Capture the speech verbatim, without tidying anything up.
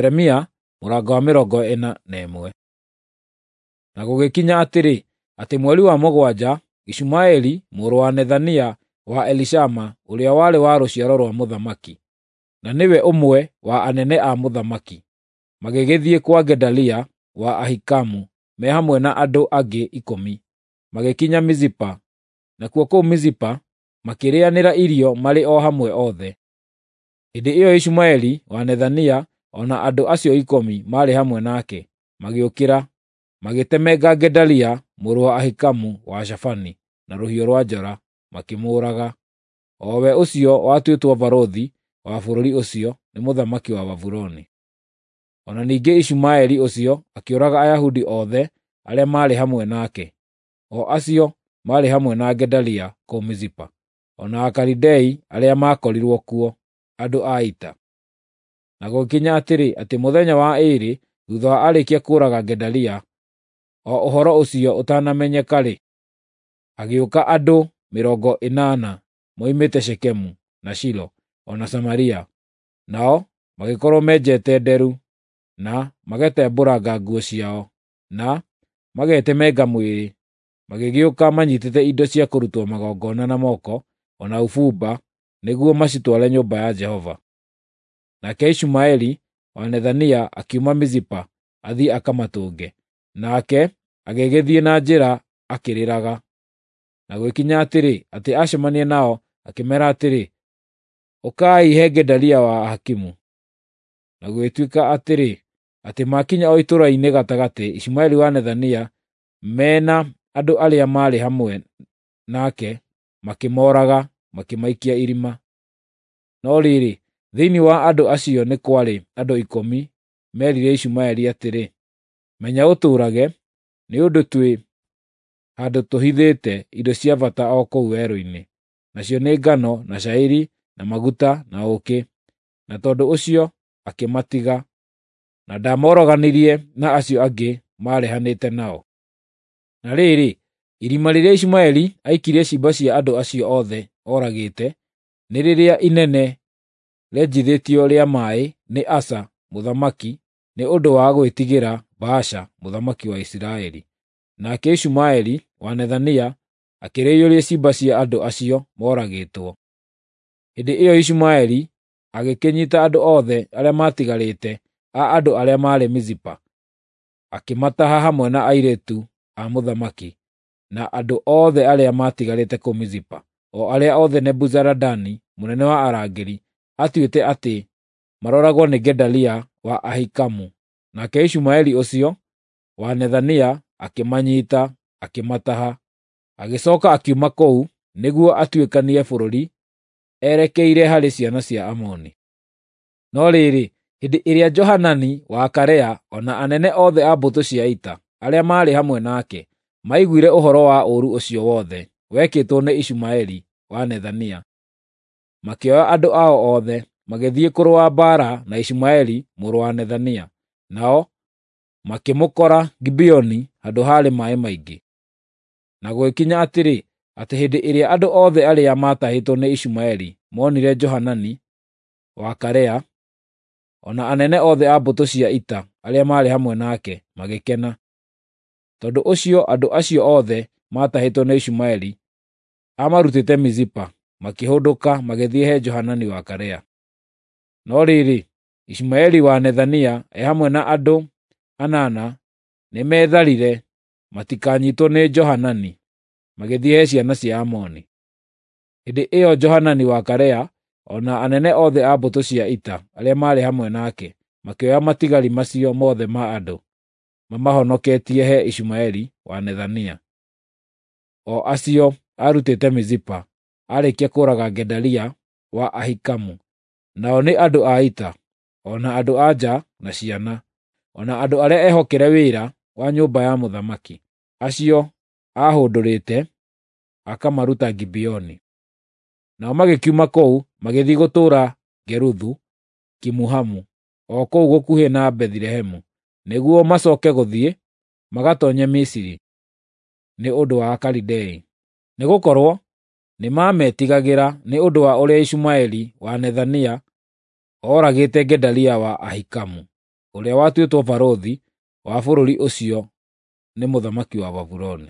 Jeremia mũrango wa mĩrongo ĩna na ĩmwe. Na gũgĩkinya atĩrĩ, atĩ mweri wa mũgwanja, Ishumaeli mũrũ wa Nethania wa Elishama, ũrĩa warĩ wa rũciaro rwa mũthamaki, na nĩwe ũmwe wa anene a mũthamaki, magĩgĩthiĩ kwa Gedalia wa Ahikamu me hamwe na andũ angĩ ikũmi, magĩkinya Mizipa. Nakuo kũu Mizipa makĩrĩanĩra irio marĩ o hamwe othe. Hĩndĩ ĩyo Ishumaeli wa Nethania o na andũ acio ikũmi maarĩ hamwe nake magĩũkĩra, magĩtemenga Gedalia mũrũ wa Ahikamu wa Shafani na rũhiũ rwa njora, makĩmũũraga, o we ũcio watuĩtwo barũthi wa bũrũri ũcio nĩ mũthamaki wa Babuloni. O na ningĩ Ishumaeli ũcio akĩũraga Ayahudi othe arĩa maarĩ hamwe nake, o acio maarĩ hamwe na Gedalia kũu Mizipa, o na Akalidei arĩa maakorirwo kuo, andũ a ita. Na gũgĩkinya atĩrĩ, atĩ mũthenya wa ĩĩrĩ thuutha wa arĩkia kũũraga Gedalia, o ũhoro ũcio ũtanamenyeka-rĩ, hagĩũka andũ mĩrongo ĩnana moimĩte Shekemu, na Shilo, o na Samaria. Nao magĩkorwo menjete nderu, na magetembũranga nguo ciao, na magetemenga mwĩrĩ, magĩgĩũka manyiitĩte indo cia kũrutwo magongona na moko, o na ũbumba, nĩguo macitware nyũmba ya Jehova. Nake Ishumaeli wa Nethania akiuma Mizipa athiĩ akamatũnge, nake agĩgĩthiĩ na njĩra akĩrĩraga. Na gũgĩkinya atĩrĩ, atĩ acemania nao akĩmeera atĩrĩ, “Ũkai he Gedalia wa Ahikimu.” Na gũgĩtuĩka atĩrĩ, atĩ maakinya o itũũra-inĩ gatagatĩ, Ishumaeli wa Nethania me na andũ arĩa maarĩ hamwe nake makĩmooraga, makĩmaikia irima. No rĩrĩ, thĩinĩ wa andũ acio nĩ kwarĩ andũ ikũmi meerire Ishumaeli atĩrĩ, “Menya ũtũũrage, nĩ ũndũ twĩ handũ tũhithĩte indo cia bata o kũu werũ-inĩ, nacio nĩ ngano, na cairi, na maguta, na ũũkĩ.” Na tondũ ũcio akĩmatiga, na ndaamoroganirie na acio angĩ maarehanĩte nao. Na rĩrĩ, irima rĩrĩa Ishumaeli aikirie ciimba cia andũ acio othe oragĩte nĩ rĩrĩa inene rĩenjithĩtio rĩa maaĩ nĩ Asa mũthamaki nĩ ũndũ wa gwĩtigĩra Baasha mũthamaki wa Isiraeli. Nake Ishumaeli wa Nethania akĩrĩiyũria ciimba cia andũ acio moragĩtwo. Hĩndĩ ĩyo Ishumaeli agĩkĩnyiita andũ othe arĩa maatigarĩte a andũ arĩa maarĩ Mizipa, akĩmataha hamwe na airĩtu a mũthamaki, na andũ othe arĩa maatigarĩte kũu Mizipa, o arĩa othe Nebuzaradani mũnene wa arangĩri aatuĩte atĩ maroragwo nĩ Gedalia wa Ahikamu. Nake Ishumaeli ũcio wa Nethania akĩmanyiita, akĩmataha. Agĩcooka akiuma kũu nĩguo atuĩkanie bũrũri erekeire harĩ ciana cia Amoni. No rĩrĩ, hĩndĩ ĩrĩa Johanani wa Karea o na anene othe a mbũtũ cia ita arĩa maarĩ hamwe nake maiguire ũhoro wa ũũru ũcio wothe wekĩtwo nĩ Ishumaeli wa Nethania, makĩoya andũ ao othe, magĩthiĩ kũrũa mbaara na Ishumaeli mũrũ wa Nethania. Nao makĩmũkora Gibeoni handũ haarĩ maaĩ maingĩ. Na gũgĩkinya atĩrĩ, atĩ hĩndĩ ĩrĩa andũ othe arĩa maatahĩtwo nĩ Ishumaeli moonire Johanani wa Karea, o na anene othe a mbũtũ cia ita arĩa maarĩ hamwe nake, magĩkena. Tondũ ũcio andũ acio othe maatahĩtwo nĩ Ishumaeli aamarutĩte Mizipa, makĩhũndũka magĩthiĩ he Johanani wa Karea. No rĩrĩ, Ishumaeli wa Nethania e hamwe na andũ anana nĩmetharire matikanyiitwo nĩ Johanani, magĩthiĩ he ciana cia Amoni. Hĩndĩ ĩyo Johanani wa Karea o na anene othe a mbũtũ cia ita arĩa maarĩ hamwe nake makĩoya matigari macio mothe ma andũ mamahonoketie he Ishumaeli wa Nethania, o acio aarutĩte Mizipa aarĩkia kũũraga Gedalia wa Ahikamu. Nao nĩ andũ a ita, o na andũ-a-nja na ciana, o na andũ arĩa ehokere wĩra wa nyũmba ya mũthamaki, acio aahũndũrĩte akamaruta Gibeoni. Nao magĩkiuma kũu magĩthiĩ gũtũũra Geruthu Kimuhamu, o kũu gũkuhĩ na Bethilehemu, nĩguo macooke gũthiĩ magatoonye Misiri nĩ ũndũ wa Akalidei, nĩgũkorwo nĩmametigagĩra nĩ ũndũ wa ũrĩa Ishumaeli wa Nethania ooragĩte Gedalia wa Ahikamu. ũrĩa watuĩtwo barũthi wa bũrũri ũcio nĩ mũthamaki wa Babuloni.